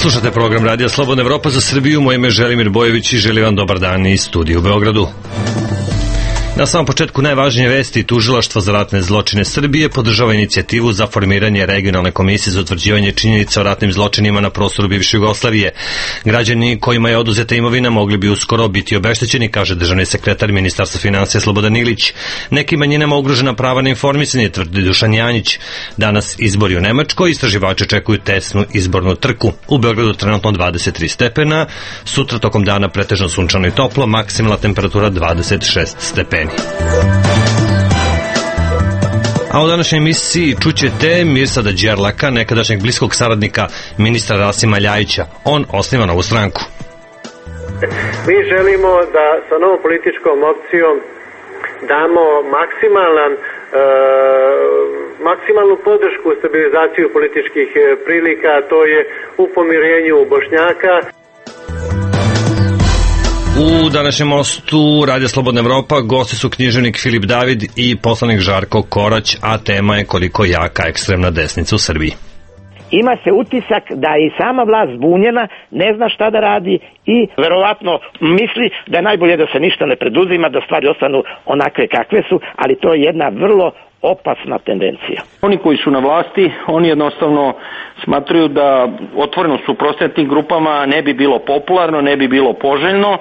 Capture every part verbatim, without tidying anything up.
Slušate program Radija Slobodna Evropa za Srbiju. Moje ime je Želimir Bojević i želim vam dobar dan iz studija u Beogradu. Na samom početku najvažnije vesti: Tužilaštvo za ratne zločine Srbije podržava inicijativu za formiranje regionalne komisije za utvrđivanje činjenica o ratnim zločinima na prostoru bivše Jugoslavije. Građani kojima je oduzeta imovina mogli bi uskoro biti obeštećeni, kaže državni sekretar Ministarstva finansija Slobodan Ilić. Nekim manjinama ugrožena prava na informisanje, tvrdi Dušan Janjić. Danas izbori u Nemačkoj, istraživači čekuju tesnu izbornu trku. U Beogradu trenutno dvadeset tri stepena, sutra tokom dana pretežno sunčano i toplo, maksimalna temperatura dvadeset šest stepeni. A u današnjoj emisiji čućete Mirsada Đerlaka, nekadašnjeg bliskog saradnika ministra Rasima Ljajića. On osniva novu stranku. Mi želimo da sa novom političkom opcijom damo maksimalan, e, maksimalnu podršku u stabilizaciju političkih prilika, to je u pomirenju Bošnjaka. U današnjem mostu Radija Slobodna Evropa gosti su književnik Filip David i poslanik Žarko Korać, a tema je koliko jaka ekstremna desnica u Srbiji. Ima se utisak da je i sama vlast zbunjena, ne zna šta da radi i verovatno misli da je najbolje da se ništa ne preduzima, da stvari ostanu onakve kakve su, ali to je jedna vrlo opasna tendencija. Oni koji su na vlasti, oni jednostavno smatruju da otvoreno suprotstavljanje tim grupama ne bi bilo popularno, ne bi bilo poželjno.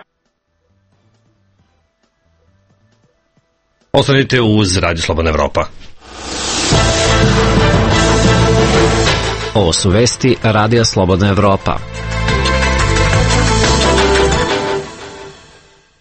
Ostanite uz Radio Slobodna Evropa. Ovo su vesti Radija Slobodna Evropa.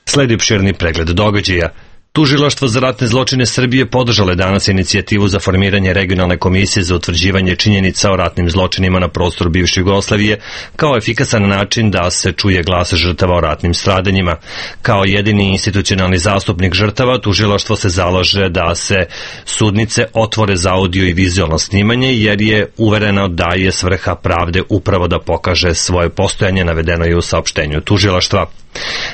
Sledi opširni pregled događaja. Tužilaštvo za ratne zločine Srbije podržalo je danas inicijativu za formiranje regionalne komisije za utvrđivanje činjenica o ratnim zločinima na prostoru bivše Jugoslavije kao efikasan način da se čuje glas žrtava o ratnim stradanjima. Kao jedini institucionalni zastupnik žrtava, tužilaštvo se zalaže da se sudnice otvore za audio i vizualno snimanje, jer je uvereno da je svrha pravde upravo da pokaže svoje postojanje, navedeno je u saopštenju tužilaštva.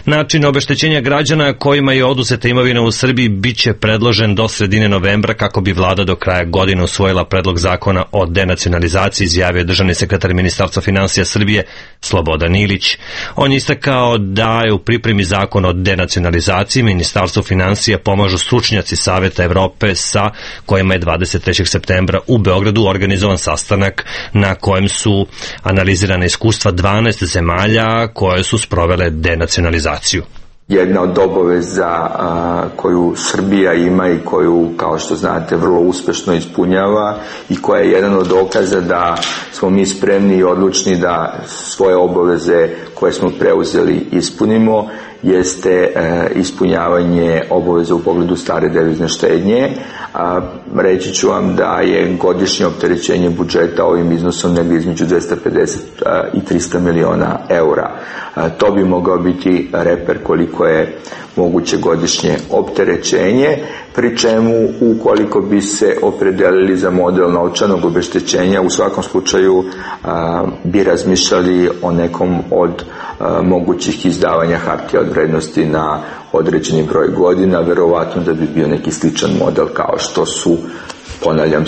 Način obeštećenja građana kojima je oduzeta imovina u Srbiji biće predložen do sredine novembra kako bi vlada do kraja godine usvojila predlog zakona o denacionalizaciji, izjavio državni sekretar Ministarstva finansija Srbije Slobodan Ilić. On je istakao da je u pripremi zakon o denacionalizaciji. Ministarstvu finansija pomažu stručnjaci Saveta Evrope sa kojima je dvadeset trećeg septembra u Beogradu organizovan sastanak na kojem su analizirane iskustva dvanaest zemalja koje su sprovele denacionalizaciju. Jedna od obaveza a, koju Srbija ima i koju, kao što znate, vrlo uspešno ispunjava i koja je jedan od dokaza da smo mi spremni i odlučni da svoje obaveze koje smo preuzeli ispunimo, jeste e, ispunjavanje obaveza u pogledu stare devizne štednje. A, reći ću vam da je godišnje opterećenje budžeta ovim iznosom negdje između dvesta pedeset a, i trista miliona eura. A, to bi mogao biti reper koliko je moguće godišnje opterećenje, pri čemu ukoliko bi se opredelili za model novčanog obeštećenja, u svakom slučaju a, bi razmišljali o nekom od a, mogućih izdavanja hartija od vrednosti na određeni broj godina, verovatno da bi bio neki sličan model kao što su, ponavljam,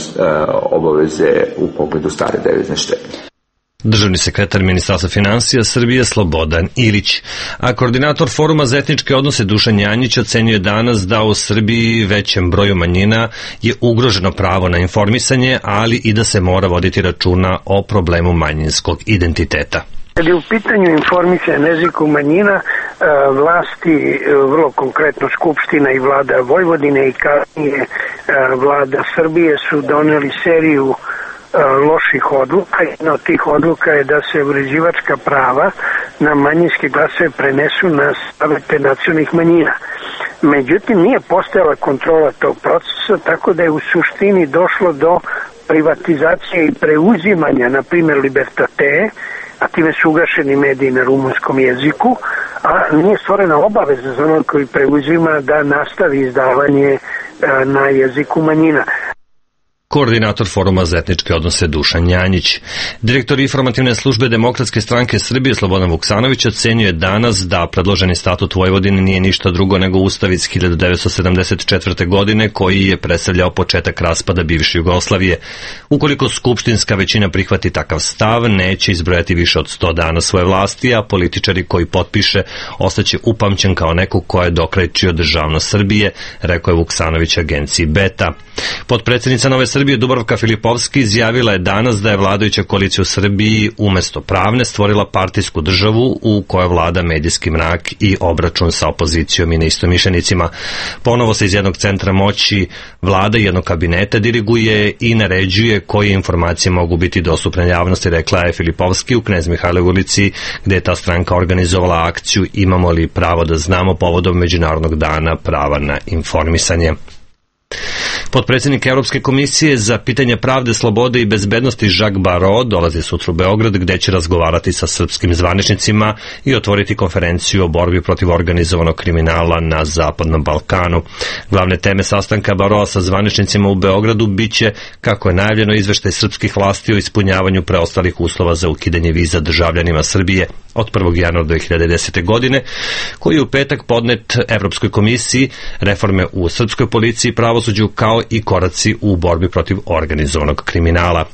obaveze u pogledu stare devizne štednje. Državni sekretar Ministarstva finansija Srbije Slobodan Ilić. A koordinator Foruma za etničke odnose Dušan Janjić ocenjuje danas da u Srbiji većem broju manjina je ugroženo pravo na informisanje, ali i da se mora voditi računa o problemu manjinskog identiteta. Kad je u pitanju informisanja na jeziku manjina, vlasti, vrlo konkretno Skupština i vlada Vojvodine i kasnije vlada Srbije su doneli seriju loših odluka. Jedna od tih odluka je da se uređivačka prava na manjinske glasove prenesu na savete nacionalnih manjina. Međutim, nije postojala kontrola tog procesa, tako da je u suštini došlo do privatizacije i preuzimanja, na primjer Libertate, a time su ugašeni mediji na rumunskom jeziku, a nije stvorena obaveza za onog koji preuzima da nastavi izdavanje na jeziku manjina. koordinator Foruma za etničke odnose Dušan Janjić. Direktor informativne službe Demokratske stranke Srbije Slobodan Vuksanović ocenjuje danas da predloženi statut Vojvodine nije ništa drugo nego ustav iz hiljadu devetsto sedamdeset četvrte. godine koji je predstavljao početak raspada bivše Jugoslavije. Ukoliko skupštinska većina prihvati takav stav, neće izbrojati više od sto dana svoje vlasti, a političari koji potpiše ostaće upamćen kao neko ko je dokrajčio državnost Srbije, rekao je Vuksanović agenciji Beta. Potpredsednica Nove Srbije Dubravka Filipovski izjavila je danas da je vladajuća koalicija u Srbiji umesto pravne stvorila partijsku državu u kojoj vlada medijski mrak i obračun sa opozicijom i neistomišljenicima. Ponovo se iz jednog centra moći vlada jednog kabineta diriguje i naređuje koje informacije mogu biti dostupne javnosti, rekla je Filipovski u Knez Mihajlovoj ulici, gde je ta stranka organizovala akciju Imamo li pravo da znamo povodom Međunarodnog dana prava na informisanje. Potpredsjednik Evropske komisije za pitanje pravde, slobode i bezbednosti Jacques Barrot dolazi sutra u Beograd, gde će razgovarati sa srpskim zvaničnicima i otvoriti konferenciju o borbi protiv organizovanog kriminala na Zapadnom Balkanu. Glavne teme sastanka Barrota sa zvaničnicima u Beogradu biće, kako je najavljeno, izveštaj srpskih vlasti o ispunjavanju preostalih uslova za ukidanje viza državljanima Srbije od prvog januara dve hiljade desete. godine, koji je u petak podnet Evropskoj komisiji, reforme u srpskoj policiji i pravosuđu, kao i koraci u borbi protiv organizovanog kriminala.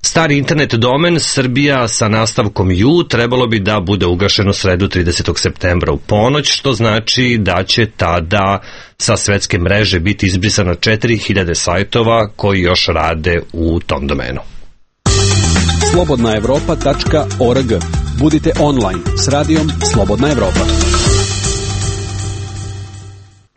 Stari internet domen Srbija sa nastavkom ju trebalo bi da bude ugašen u sredu tridesetog septembra u ponoć, što znači da će tada sa svetske mreže biti izbrisano četiri hiljade sajtova koji još rade u tom domenu. slobodna evropa tačka org. Budite online s radijom Slobodna Evropa.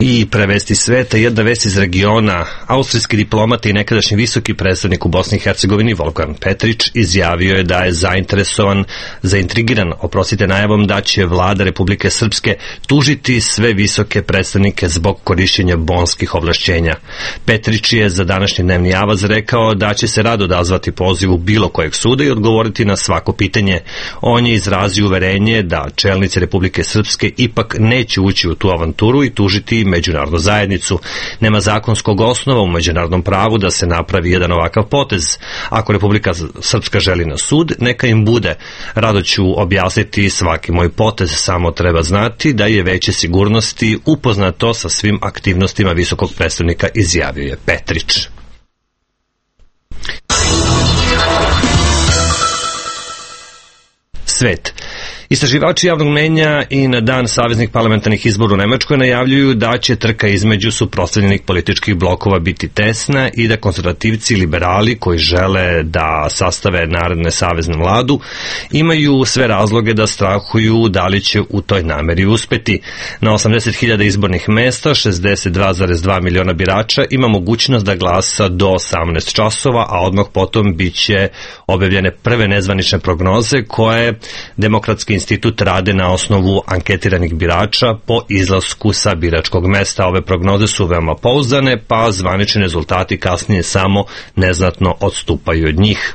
I prevesti sveta, jedna vest iz regiona. Austrijski diplomata i nekadašnji visoki predstavnik u Bosni i Hercegovini Volkan Petrić izjavio je da je zainteresovan, zaintrigiran, oprostite, najavom da će vlada Republike Srpske tužiti sve visoke predstavnike zbog korišćenja bonskih ovlašćenja. Petrić je za današnji dnevni avaz rekao da će se rado odazvati pozivu bilo kojeg suda i odgovoriti na svako pitanje. On je izrazio uverenje da čelnici Republike Srpske ipak neće ući u tu avanturu i tužiti međunarodnu zajednicu. Nema zakonskog osnova u međunarodnom pravu da se napravi jedan ovakav potez. Ako Republika Srpska želi na sud, neka im bude. Rado ću objasniti svaki moj potez, samo treba znati da je Veće sigurnosti upoznato sa svim aktivnostima visokog predstavnika, izjavio je Petrić. Svet. Istraživači javnog mnjenja i na dan saveznih parlamentarnih izbora u Nemačkoj najavljuju da će trka između suprotstavljenih političkih blokova biti tesna i da konzervativci i liberali koji žele da sastave naredne saveznu vladu imaju sve razloge da strahuju da li će u toj nameri uspeti. Na osamdeset hiljada izbornih mesta, šezdeset dva zarez dva miliona birača ima mogućnost da glasa do osamnaest časova, a odmah potom biće objavljene prve nezvanične prognoze koje Demokratski institut rade na osnovu anketiranih birača po izlasku sa biračkog mesta. Ove prognoze su veoma pouzdane, pa zvanični rezultati kasnije samo neznatno odstupaju od njih.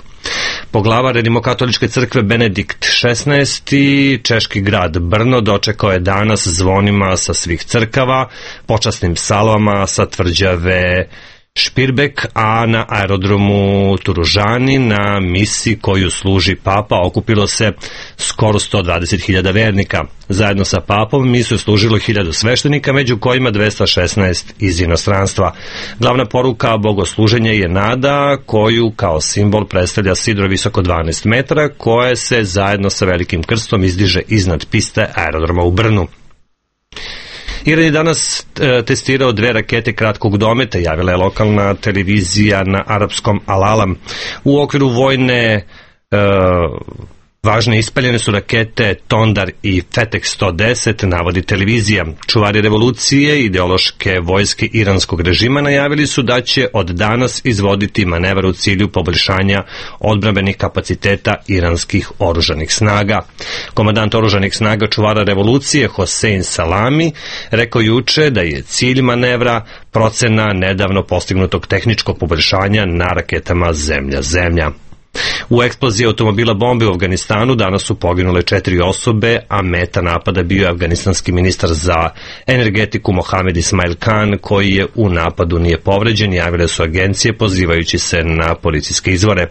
Poglavar Rimokatoličke crkve Benedikt šesnaesti. češki grad Brno dočekao je danas zvonima sa svih crkava, počasnim salvama sa tvrđave Špirbek, a na aerodromu Turužani na misi koju služi papa okupilo se skoro sto dvadeset hiljada vernika. Zajedno sa papom misu je služilo hiljadu sveštenika, među kojima dvesta šesnaest iz inostranstva. Glavna poruka bogosluženja je nada, koju kao simbol predstavlja sidro visoko dvanaest metara, koje se zajedno sa velikim krstom izdiže iznad piste aerodroma u Brnu. Iran je danas e, testirao dve rakete kratkog dometa, javila je lokalna televizija na arapskom Al-Alam. U okviru vojne e, važne ispaljene su rakete Tondar i Fetek sto deset, navodi televizija. Čuvari revolucije, ideološke vojske iranskog režima najavili su da će od danas izvoditi manevar u cilju poboljšanja odbrambenih kapaciteta iranskih oružanih snaga. Komandant oružanih snaga čuvara revolucije Hosein Salami rekao juče da je cilj manevra procena nedavno postignutog tehničkog poboljšanja na raketama Zemlja-Zemlja. U eksploziji automobila bombe u Afganistanu danas su poginule četiri osobe, a meta napada bio je afganistanski ministar za energetiku Mohamed Ismail Khan, koji je u napadu nije povređen, javile su agencije pozivajući se na policijske izvore.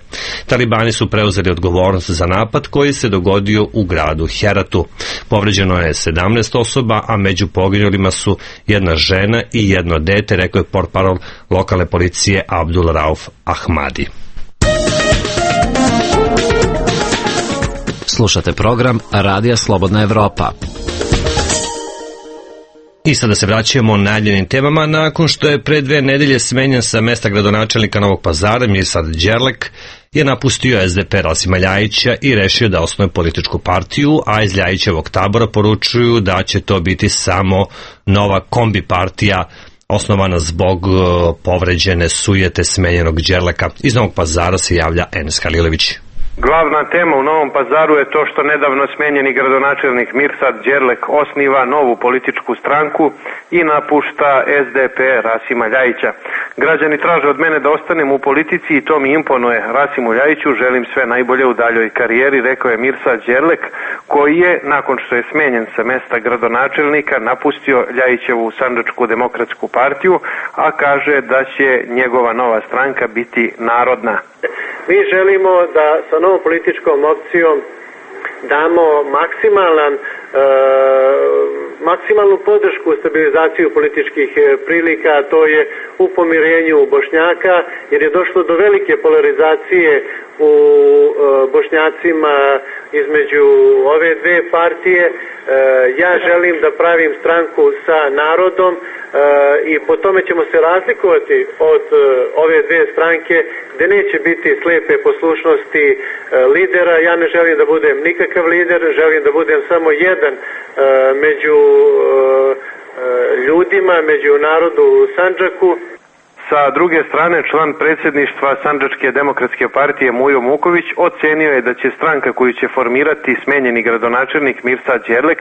Talibani su preuzeli odgovornost za napad koji se dogodio u gradu Heratu. Povređeno je sedamnaest osoba, a među poginulima su jedna žena i jedno dete, rekao je portparol lokalne policije Abdul Rauf Ahmadi. Slušate program Radija Slobodna Evropa. I sada se vraćamo najavljenim temama. Nakon što je pre dve nedelje smenjen sa mesta gradonačelnika Novog Pazara, Mirsad Đerlek je napustio es de pe Rasima Ljajića i rešio da osnuje političku partiju, a iz Ljajićevog tabora poručuju da će to biti samo nova kombi partija osnovana zbog povređene sujete smenjenog Đerleka. Iz Novog Pazara se javlja Enes Halilović. Glavna tema u Novom Pazaru je to što nedavno smenjeni gradonačelnik Mirsad Đerlek osniva novu političku stranku i napušta es de pe Rasima Ljajića. Građani traže od mene da ostanem u politici i to mi imponuje. Rasimu Ljajiću želim sve najbolje u daljoj karijeri, rekao je Mirsad Đerlek, koji je, nakon što je smenjen sa mesta gradonačelnika, napustio Ljajićevu Sandžačku demokratsku partiju, a kaže da će njegova nova stranka biti narodna. Mi želimo da sa novom političkom opcijom damo maksimalan, e, maksimalnu podršku u stabilizaciju političkih prilika, a to je u pomirenju Bošnjaka, jer je došlo do velike polarizacije u e, Bošnjacima između ove dve partije. E, ja želim da pravim stranku sa narodom e, i po tome ćemo se razlikovati od e, ove dve stranke gde neće biti slepe poslušnosti e, lidera. Ja ne želim da budem nikakav lider, želim da budem samo jedan e, među e, ljudima, među narodu u Sandžaku. Sa druge strane, član predsjedništva Sandžačke demokratske partije Mujo Muković ocenio je da će stranka koju će formirati smenjeni gradonačelnik Mirsad Đerlek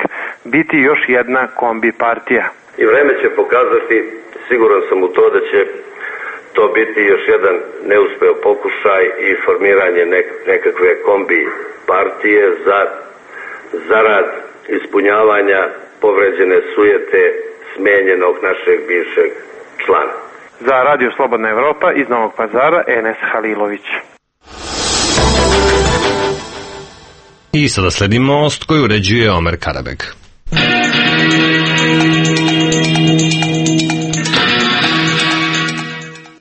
biti još jedna kombi partija. I vreme će pokazati, siguran sam u to da će to biti još jedan neuspeo pokušaj i formiranje nekakve kombi partije za zarad ispunjavanja povređene sujete smenjenog našeg bivšeg člana. Za Radio Slobodna Evropa iz Novog Pazara, Enes Halilović. I sada sledi most koji uređuje Omer Karabeg.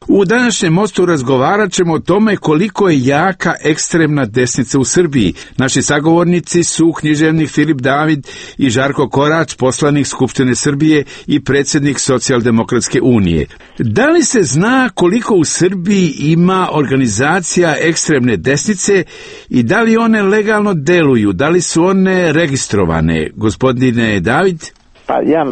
U današnjem mostu razgovarat ćemo o tome koliko je jaka ekstremna desnica u Srbiji. Naši sagovornici su književnik Filip David i Žarko Korać, poslanik Skupštine Srbije i predsjednik Socijaldemokratske unije. Da li se zna koliko u Srbiji ima organizacija ekstremne desnice i da li one legalno deluju, da li su one registrovane? Gospodine David? Pa ja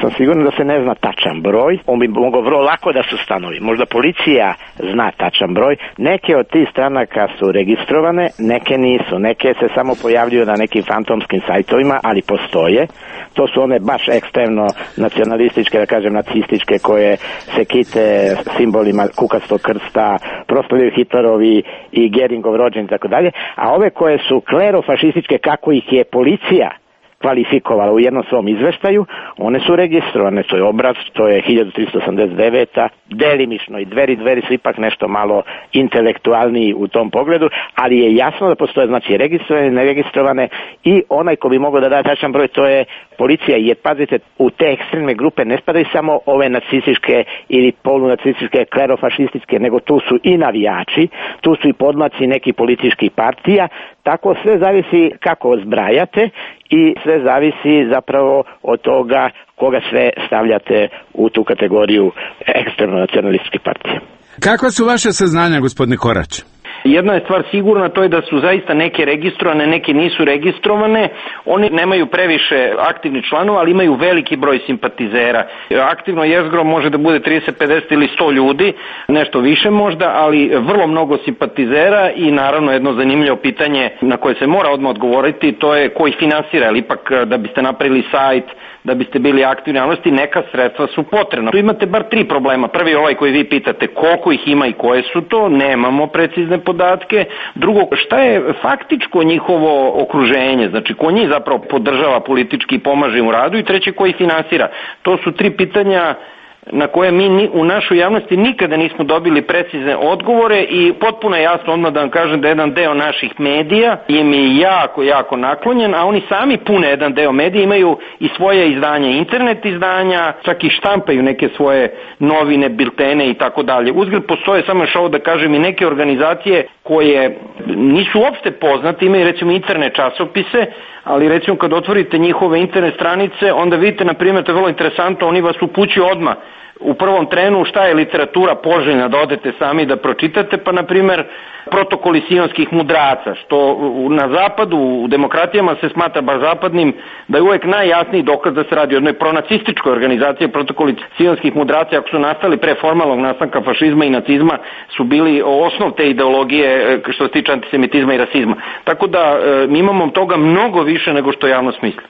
sam siguran da se ne zna tačan broj, on bi mogao vrlo lako da se ustanovi. Možda policija zna tačan broj, neke od tih stranaka su registrovane, neke nisu, neke se samo pojavljuju na nekim fantomskim sajtovima, ali postoje. To su one baš ekstremno nacionalističke, da kažem nacističke, koje se kite simbolima kukastog krsta, proslavljaju Hitlerovi i Geringov rođen i tako dalje, a ove koje su klerofašističke, kako ih je policija kvalifikovala u jednom svom izveštaju, one su registrovane, to je obraz, to je hiljadu tristo osamdeset deveta, delimično i dveri, dveri su ipak nešto malo intelektualniji u tom pogledu, ali je jasno da postoje, znači, registrovane, neregistrovane i onaj ko bi mogao da da tačan broj, to je policija, jer pazite, u te ekstremne grupe ne spadaju samo ove nacističke ili polunacističke, klerofašističke, nego tu su i navijači, tu su i podmlaci nekih političkih partija, tako sve zavisi kako zbrajate i sve zavisi zapravo od toga koga sve stavljate u tu kategoriju ekstremno nacionalističke partije. Kakva su vaše saznanja, gospodine Korać? Jedna je stvar sigurna, to je da su zaista neke registrovane, neke nisu registrovane. Oni nemaju previše aktivnih članova, ali imaju veliki broj simpatizera. Aktivno jezgro može da bude trideset, pedeset ili sto ljudi, nešto više možda, ali vrlo mnogo simpatizera i naravno jedno zanimljivo pitanje na koje se mora odmah odgovoriti, to je ko ih finansira, ali ipak da biste napravili sajt, da biste bili aktivni u javnosti, neka sredstva su potrebna. Tu imate bar tri problema. Prvi je ovaj koji vi pitate, koliko ih ima i koje su to, nemamo precizne podatke. Drugo, šta je faktičko njihovo okruženje, znači ko njih zapravo podržava politički i pomaže im u radu, i treće, koji finansira. To su tri pitanja na koje mi u našoj javnosti nikada nismo dobili precizne odgovore, i potpuno je jasno odmah da vam kažem da jedan deo naših medija im je jako, jako naklonjen, a oni sami pune jedan deo medija, imaju i svoje izdanje, internet izdanja, čak i štampaju neke svoje novine, biltene i tako dalje. Uzgled postoje, samo još ovo da kažem, i neke organizacije koje nisu uopšte poznate, imaju recimo internet časopise, ali recimo kad otvorite njihove internet stranice, onda vidite, na primjer, to je vrlo interesantno, oni vas upućuju odmah u prvom trenu šta je literatura poželjna da odete sami da pročitate, pa na primjer protokoli sionskih mudraca, što na zapadu, u demokratijama se smatra baš zapadnim, da je uvek najjasniji dokaz da se radi o jednoj pronacističkoj organizaciji. Protokoli sionskih mudraca, ako su nastali pre formalnog nastanka fašizma i nacizma, su bili osnov te ideologije što se tiče antisemitizma i rasizma. Tako da mi imamo toga mnogo više nego što javnost misli.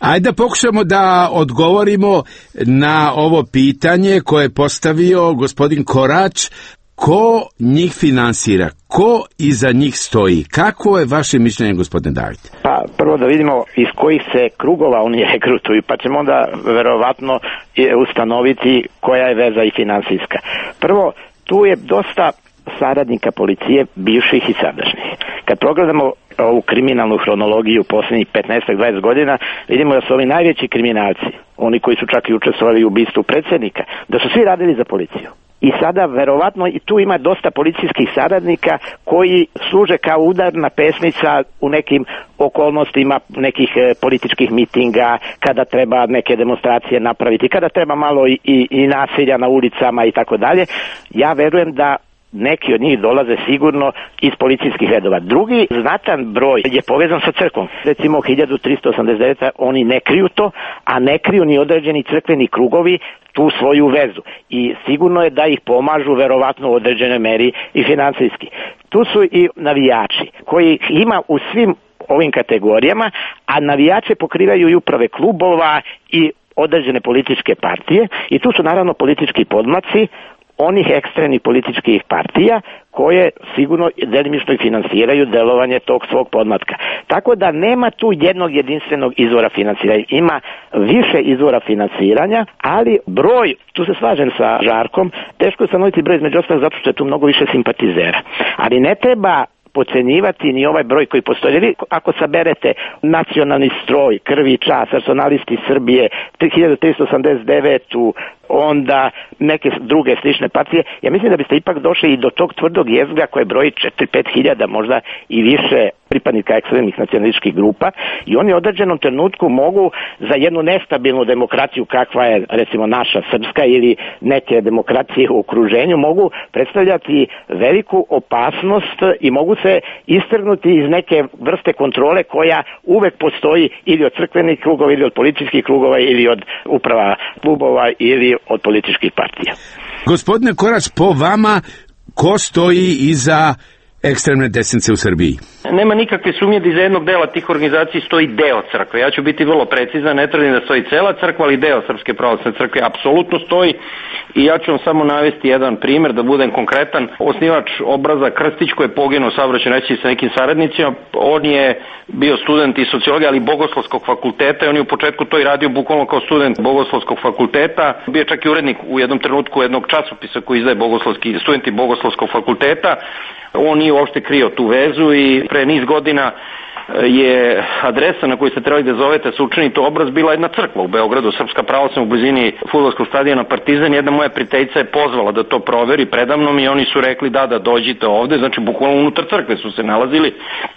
Ajde da pokušamo da odgovorimo na ovo pitanje koje je postavio gospodin Korać. Ko njih finansira? Ko iza njih stoji? Kako je vaše mišljenje, gospodine David? Pa prvo da vidimo iz kojih se krugova oni regrutuju, pa ćemo onda verovatno ustanoviti koja je veza i finansijska. Prvo, tu je dosta saradnika policije, bivših i sadašnjih. Kad pogledamo ovu kriminalnu hronologiju posljednjih petnaest do dvadeset godina, vidimo da su ovi najveći kriminalci, oni koji su čak i učestvovali u ubistvu predsjednika, da su svi radili za policiju. I sada verovatno i tu ima dosta policijskih saradnika koji služe kao udarna pesnica u nekim okolnostima nekih e, političkih mitinga, kada treba neke demonstracije napraviti, kada treba malo i, i, i nasilja na ulicama i tako dalje. Ja verujem da neki od njih dolaze sigurno iz policijskih redova. Drugi znatan broj je povezan sa crkvom. Recimo hiljadu tristo osamdeset devete. oni ne kriju to, a ne kriju ni određeni crkveni krugovi tu svoju vezu. I sigurno je da ih pomažu verovatno u određenoj meri i finansijski. Tu su i navijači koji ima u svim ovim kategorijama, a navijače pokrivaju i uprave klubova i određene političke partije, i tu su naravno politički podmlaci onih ekstremnih političkih partija koje sigurno delimično i finansiraju delovanje tog svog podmlatka. Tako da nema tu jednog jedinstvenog izvora finansiranja. Ima više izvora finansiranja, ali broj, tu se slažem sa Žarkom, teško je stanoviti broj između ostalog zato što je tu mnogo više simpatizera. Ali ne treba podcenjivati ni ovaj broj koji postoji. Vi ako saberete nacionalni stroj, Krvi i čast, personalisti Srbije, hiljadu tristo osamdeset devete. onda neke druge slične partije, ja mislim da biste ipak došli i do tog tvrdog jezgra koje broji četiri do pet hiljada, možda i više pripadnika ekstremnih nacionalističkih grupa, i oni u određenom trenutku mogu za jednu nestabilnu demokraciju kakva je recimo naša srpska ili neke demokracije u okruženju, mogu predstavljati veliku opasnost i mogu se istrgnuti iz neke vrste kontrole koja uvek postoji ili od crkvenih krugova ili od političkih krugova ili od uprava klubova ili od političkih partija. Gospodine Korać, po vama ko stoji iza ekstremne desnice u Srbiji? Nema nikakve sumnje da iza jednog dela tih organizacija stoji deo crkve. Ja ću biti vrlo precizan, ne tvrdim da stoji cela crkva, ali deo Srpske pravoslavne crkve apsolutno stoji, i ja ću vam samo navesti jedan primer da budem konkretan. Osnivač obraza Krstić, koji je poginuo u saobraćajnoj nesreći sa nekim saradnicima, on je bio student i sociologije, ali Bogoslovskog fakulteta, i on je u početku to i radio bukvalno kao student Bogoslovskog fakulteta. Bio je čak i urednik u jednom trenutku jednog časopisa koji izdaje bogoslovski studenti Bogoslovskog fakulteta. On nije uopšte krio tu vezu i pre niz godina je adresa na koju ste trebali da zovete sa učinite obraz bila jedna crkva u Beogradu, Srpska pravoslavna, u blizini fudbalskog stadiona Partizan. Jedna moja prijateljica je pozvala da to proveri predamnom i oni su rekli da, da dođite ovde, znači bukvalno unutar crkve su se nalazili.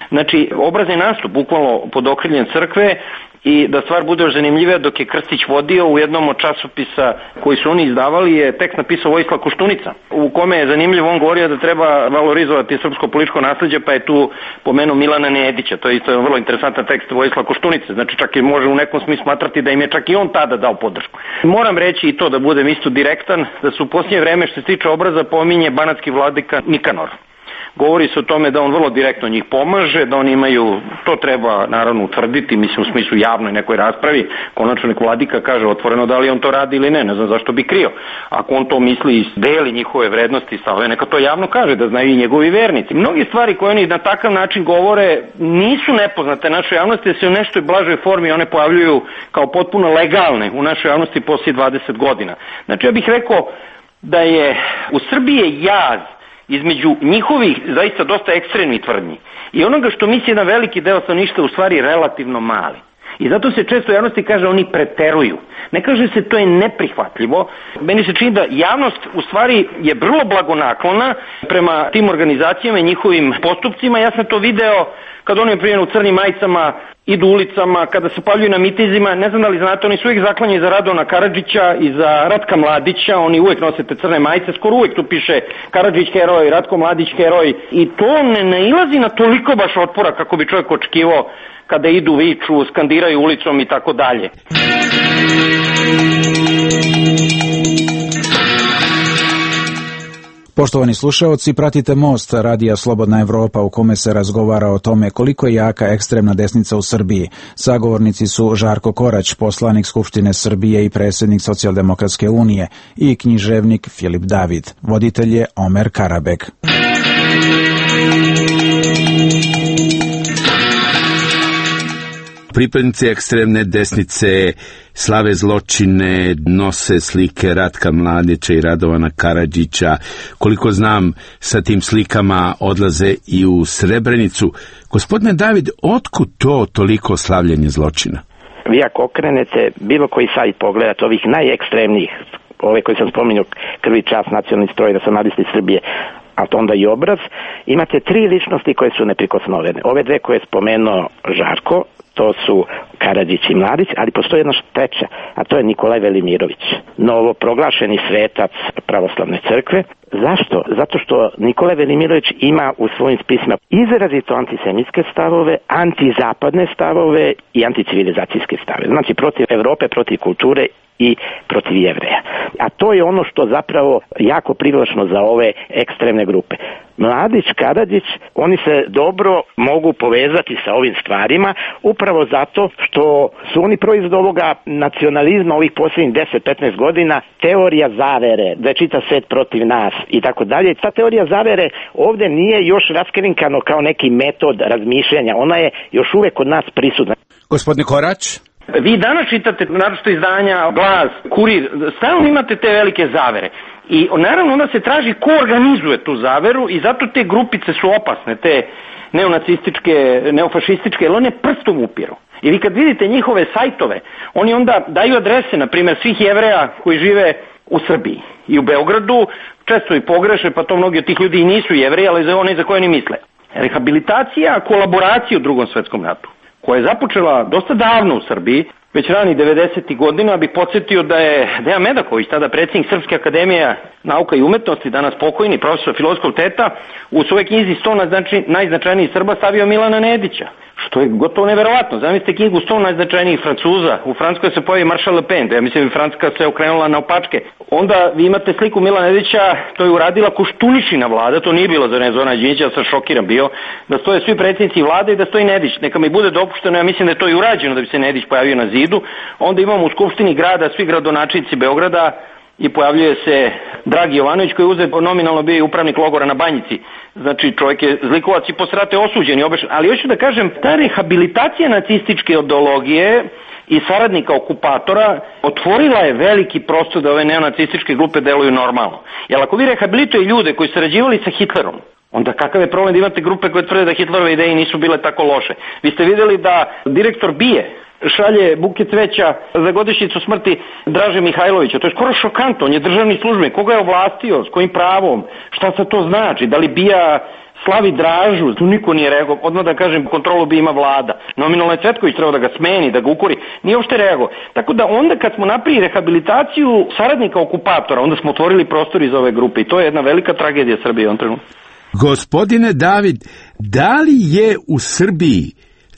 Znači obraz je nastup bukvalno pod okriljem crkve. I da stvar bude još zanimljivija, dok je Krstić vodio u jednom od časopisa koji su oni izdavali, je tekst napisao Vojislav Koštunica, u kome je zanimljivo, on govorio da treba valorizovati srpsko političko nasleđe, pa je tu pomenuo Milana Nedića. To je isto vrlo interesantan tekst Vojislav Koštunice, znači čak i može u nekom smislu smatrati da im je čak i on tada dao podršku. Moram reći i to, da budem isto direktan, da su u posljednje vreme što se tiče obraza pominje banatski vladika Nikanor. govori se o tome da on vrlo direktno njih pomaže, da oni imaju, to treba naravno utvrditi, mislim u smislu javnoj nekoj raspravi, konačno nek vladika kaže otvoreno da li on to radi ili ne, ne znam zašto bi krio. Ako on to misli i deli njihove vrednosti i stavove, neka to javno kaže, da znaju i njegovi vernici. Mnogi stvari koje oni na takav način govore nisu nepoznate našoj javnosti, da se u nešto blažoj formi one pojavljuju kao potpuno legalne u našoj javnosti poslije dvadeset godina. Znači ja bih rekao da je u Srbiji jaz između njihovih zaista dosta ekstremnih tvrdnji i onoga što misli jedan veliki deo stanovništva u stvari relativno mali. I zato se često u javnosti kaže oni preteruju. Ne kaže se to je neprihvatljivo. Meni se čini da javnost u stvari je vrlo blagonaklona prema tim organizacijama i njihovim postupcima. Ja sam to video kad oni primjer u crnim majicama idu ulicama, kada se pojavljuju na mitizima, ne znam da li znate, oni su uvijek zaklanjeni za Radovana Karadžića i za Ratka Mladića, oni uvijek nose te crne majice, skoro uvijek tu piše Karadžić heroj, Ratko Mladić heroj i to ne nailazi na toliko baš otpora kako bi čovjek očekivao kada idu, viču, skandiraju ulicom i tako dalje. Poštovani slušaoci, pratite Most radija Slobodna Evropa u kome se razgovara o tome koliko je jaka ekstremna desnica u Srbiji. Sagovornici su Žarko Korać, poslanik Skupštine Srbije i predsjednik Socijaldemokratske unije, i književnik Filip David. Voditelj je Omer Karabek. Pripadnici ekstremne desnice slave zločine, nose slike Ratka Mladića i Radovana Karadžića. Koliko znam, sa tim slikama odlaze i u Srebrenicu. Gospodine David, otkud to toliko slavljenje zločina? Vi ako okrenete bilo koji sajt pogledate ovih najekstremnijih, ove koji sam spominjao, Krvi, čast, Nacionalni stroj, Nacionalisti Srbije, a to onda i obraz, imate tri ličnosti koje su neprikosnovene. Ove dve koje je spomenuo Žarko, to su Karadžić i Mladić, ali postoji jedna treća, a to je Nikolaj Velimirović, novoproglašeni svetac pravoslavne crkve. Zašto? Zato što Nikolaj Velimirović ima u svojim spisima izrazito antisemitske stavove, antizapadne stavove i anticivilizacijske stavove. Znači protiv Evrope, protiv kulture i protiv Jevreja. A to je ono što zapravo jako privlačno za ove ekstremne grupe. Mladić, Karadžić, oni se dobro mogu povezati sa ovim stvarima upravo zato što su oni proizvod ovoga nacionalizma ovih posljednjih deset do petnaest godina, teorija zavere, da je čitav svet protiv nas i tako dalje. Ta teorija zavere ovdje nije još raskrinkano kao neki metod razmišljanja, ona je još uvijek kod nas prisutna. Gospodine Korać? Vi danas čitate naročito izdanja Glas, Kurir, stalno imate te velike zavere. I naravno onda se traži ko organizuje tu zaveru i zato te grupice su opasne, te neonacističke, neofašističke, jer one prstom upiru. I vi kad vidite njihove sajtove, oni onda daju adrese, na primjer, svih Jevreja koji žive u Srbiji i u Beogradu, često i pogreše, pa to mnogi od tih ljudi i nisu Jevreji, ali za one za koje oni misle. Rehabilitacija, kolaboracija u Drugom svetskom ratu, koja je započela dosta davno u Srbiji, već ranih devedesetih godina, bih podsjetio da je Dejan Medaković, tada predsjednik Srpske akademije nauka i umetnosti, danas pokojni profesor filozofskog fakulteta, u svojoj knjizi sto najznačajnijih Srba stavio Milana Nedića, što je gotovo neverovatno. Zamislite knjigu sto najznačajnijih Francuza, u Francuskoj se pojavi Maršal Le Pen, ja mislim da Francuska se okrenula na opačke. Onda vi imate sliku Milana Nedića, to je uradila Koštuničina vlada, to nije bilo za ne Zorana Đinđića, ja sam šokiran bio, da stoje svi predsjednici vlade i da stoji Nedić. Neka mi bude dopušteno, ja mislim da je to i urađeno da bi se Nedić pojavio na zidu. Onda imamo u Skupštini grada svi gradonačelnici Beograda i pojavljuje se Dragi Jovanović koji je uzet nominalno bio i upravnik logora na Banjici. Znači čovjek je zlikovac i posle rata je osuđen i obešen. Ali hoću da kažem, ta rehabilitacija nacističke ideologije i saradnika okupatora otvorila je veliki prostor da ove neonacističke grupe deluju normalno. Jer ako vi rehabilituje ljude koji su sarađivali sa Hitlerom, onda kakav je problem da imate grupe koje tvrde da Hitlerove ideje nisu bile tako loše. Vi ste vidjeli da direktor B I E šalje buke cveća za godišnjicu smrti Draže Mihajlovića. To je skoro šokantno, on je državni službenik. Koga je ovlastio, s kojim pravom, šta se to znači, da li B I A slavi Dražu, tu niko nije reagovao. Odmah da kažem, kontrolu B I A ima vlada. Nominalno je Cvetković trebao da ga smeni, da ga ukori, nije uopšte reagovao. Tako da onda kad smo napravili rehabilitaciju saradnika okupatora, onda smo otvorili prostor iz ove grupe i to je jedna velika tragedija Srbije u ovom trenutku. Gospodine David, da li je u Srbiji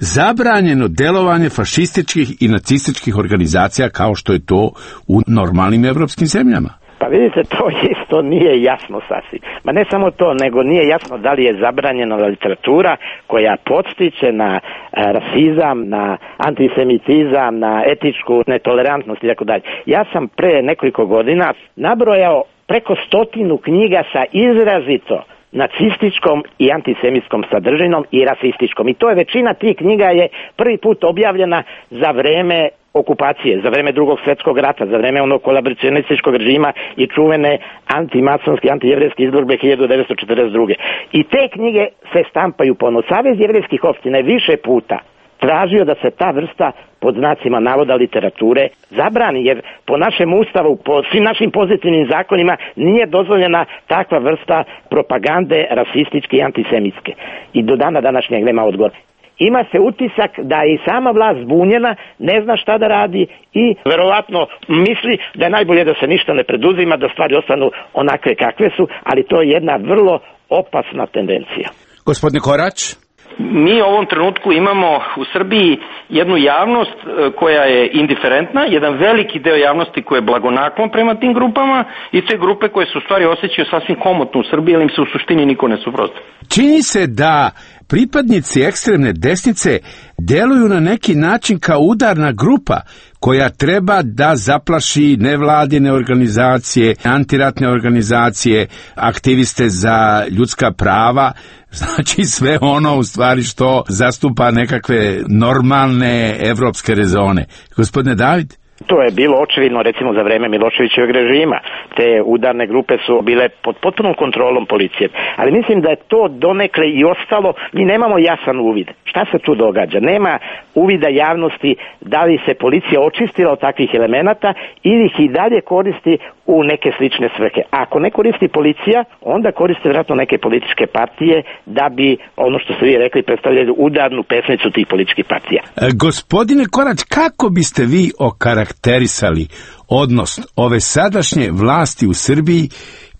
zabranjeno delovanje fašističkih i nacističkih organizacija kao što je to u normalnim evropskim zemljama? Pa vidite, to isto nije jasno sasvim. Ma ne samo to, nego nije jasno da li je zabranjena literatura koja podstiče na rasizam, na antisemitizam, na etičku netolerantnost i tako dalje. Ja sam pre nekoliko godina nabrojao preko stotinu knjiga sa izrazito nacističkom i antisemitskom sadržinom i rasističkom. I to je većina tih knjiga je prvi put objavljena za vreme okupacije, za vreme drugog svjetskog rata, za vreme onog kolaboracionističkog režima i čuvene antimasonske, antijevrijske izborbe hiljadu devetsto četrdeset druge. I te knjige se štampaju ponovno. Savez jevrejskih opština je više puta tražio da se ta vrsta pod znacima navoda literature zabrani, jer po našem ustavu, po svim našim pozitivnim zakonima nije dozvoljena takva vrsta propagande rasističke i antisemitske. I do dana današnjeg nema odgovora. Ima se utisak da je i sama vlast zbunjena, ne zna šta da radi i verovatno misli da je najbolje da se ništa ne preduzima, da stvari ostanu onakve kakve su, ali to je jedna vrlo opasna tendencija. Gospodine Korać? Mi u ovom trenutku imamo u Srbiji jednu javnost koja je indiferentna, jedan veliki deo javnosti koji je blagonaklon prema tim grupama i te grupe koje se u stvari osjećaju sasvim komotno u Srbiji, ali im se u suštini niko ne suprotstavlja. Čini se da pripadnici ekstremne desnice deluju na neki način kao udarna grupa koja treba da zaplaši nevladine organizacije, antiratne organizacije, aktiviste za ljudska prava, znači sve ono u stvari što zastupa nekakve normalne evropske rezone. Gospodine David? To je bilo očevidno recimo za vreme Miloševićevog režima. Te udarne grupe su bile pod potpunom kontrolom policije. Ali mislim da je to donekle i ostalo. Mi nemamo jasan uvid. Šta se tu događa? Nema uvida javnosti da li se policija očistila od takvih elemenata ili ih i dalje koristi u neke slične svrhe. A ako ne koristi policija, onda koriste vjerojatno neke političke partije da bi, ono što ste vi rekli, predstavljali udarnu pesnicu tih političkih partija. E, gospodine Korać, kako biste vi okarakterisali odnos ove sadašnje vlasti u Srbiji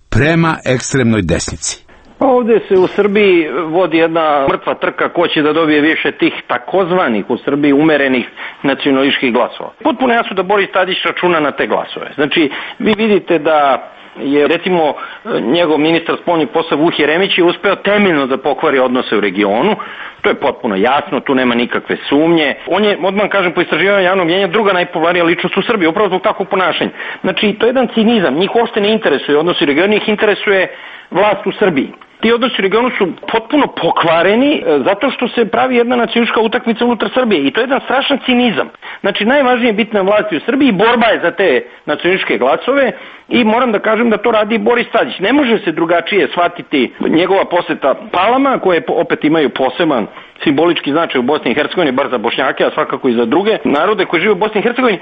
prema ekstremnoj desnici? Ovdje se u Srbiji vodi jedna mrtva trka ko će da dobije više tih takozvanih u Srbiji umerenih nacionalističkih glasova. Potpuno jasno da Boris Tadić računa na te glasove. Znači, vi vidite da je recimo njegov ministar spoljnih poslova Vuk Jeremić je uspeo temeljno da pokvari odnose u regionu. To je potpuno jasno, tu nema nikakve sumnje. On je, odmah kažem, po istraživanju javnog mnjenja druga najpopularnija ličnost u Srbiji, upravo zbog takvog ponašanja. Znači, to je jedan cinizam, njih uopšte ne interesuje odnosi u regionu, njih interesuje vlast u Srbiji. Ti odnosi u regionu su potpuno pokvareni zato što se pravi jedna nacionalistička utakmica unutar Srbije i to je jedan strašan cinizam. Znači, najvažnije je biti na vlasti u Srbiji, borba je za te nacionalističke glasove i moram da kažem da to radi Boris Tadić. Ne može se drugačije shvatiti njegova poseta Palama, koje opet imaju poseban simbolički značaj u Bosni i Hercegovini, bar za Bošnjake, a svakako i za druge narode koji žive u Bosni i Hercegovini,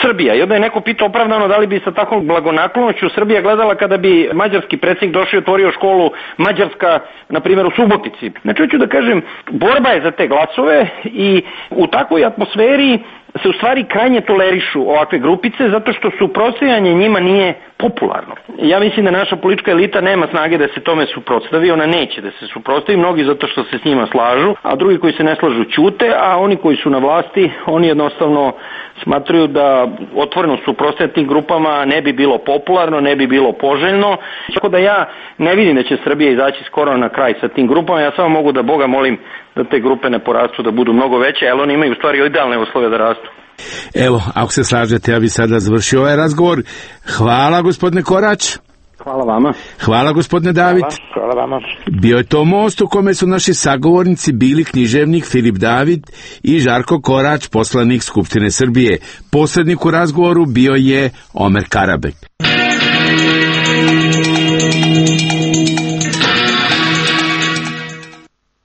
Srbija. I onda je neko pitao opravdano da li bi sa takvom blagonaklonošću Srbija gledala kada bi mađarski predsjednik došao i otvorio školu Mađarska, na primjer u Subotici. Znači, hoću da kažem, borba je za te glasove i u takvoj atmosferi se u stvari krajnje tolerišu ovakve grupice zato što suprotstavljanje njima nije popularno. Ja mislim da naša politička elita nema snage da se tome suprotstavi, ona neće da se suprotstavi, mnogi zato što se s njima slažu, a drugi koji se ne slažu ćute, a oni koji su na vlasti, oni jednostavno smatruju da otvoreno suprotstavljanje tim grupama ne bi bilo popularno, ne bi bilo poželjno. Tako da ja ne vidim da će Srbija izaći skoro na kraj sa tim grupama, ja samo mogu da Boga molim da te grupe ne porastu, da budu mnogo veće, ali oni imaju u stvari idealne uslove da rastu. Evo, ako se slažete, ja bih sada završio ovaj razgovor. Hvala, gospodine Korać. Hvala vama. Hvala, gospodine David. Hvala, hvala vama. Bio je to most u kome su naši sagovornici bili književnik Filip David i Žarko Korać, poslanik Skupštine Srbije. Posrednik u razgovoru bio je Omer Karabek.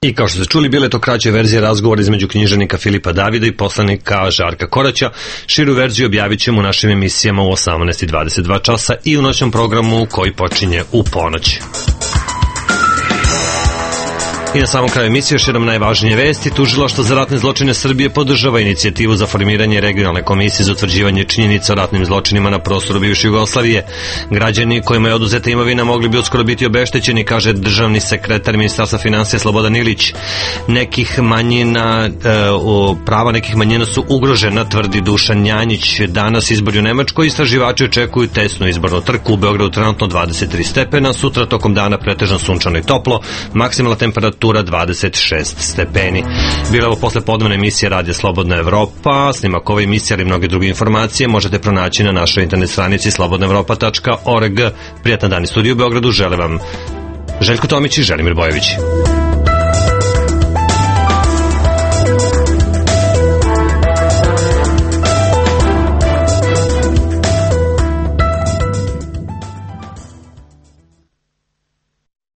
I kao što ste čuli, bile to kraće verzije razgovora između književnika Filipa Davida i poslanika Žarka Koraća. Širu verziju objavit ćemo u našim emisijama u osamnaest i dvadeset dva časa i u noćnom programu koji počinje u ponoć. I na samom kraju emisije još jednom najvažnije vesti. Tužilaštvo za ratne zločine Srbije podržava inicijativu za formiranje regionalne komisije za utvrđivanje činjenica o ratnim zločinima na prostoru bivše Jugoslavije. Građani kojima je oduzeta imovina mogli bi uskoro biti obeštećeni, kaže državni sekretar Ministarstva finansija Slobodan Ilić. Nekih manjina, e, prava nekih manjina su ugrožena, tvrdi Dušan Janjić. Danas izbori u Nemačkoj, istraživači očekuju tesnu izbornu trku. U Beogradu trenutno dvadeset tri stepena, sutra tokom dana pretežno sunčano i toplo, maksimalna temperatura dvadeset šest stepeni. Bila ovo posle podnevne emisije Radija Slobodna Evropa. Snimak ove emisije ali mnoge druge informacije možete pronaći na našoj internet stranici slobodna evropa tačka org. Prijatan dan iz studiju u Beogradu žele vam Željko Tomić i Želimir Bojević.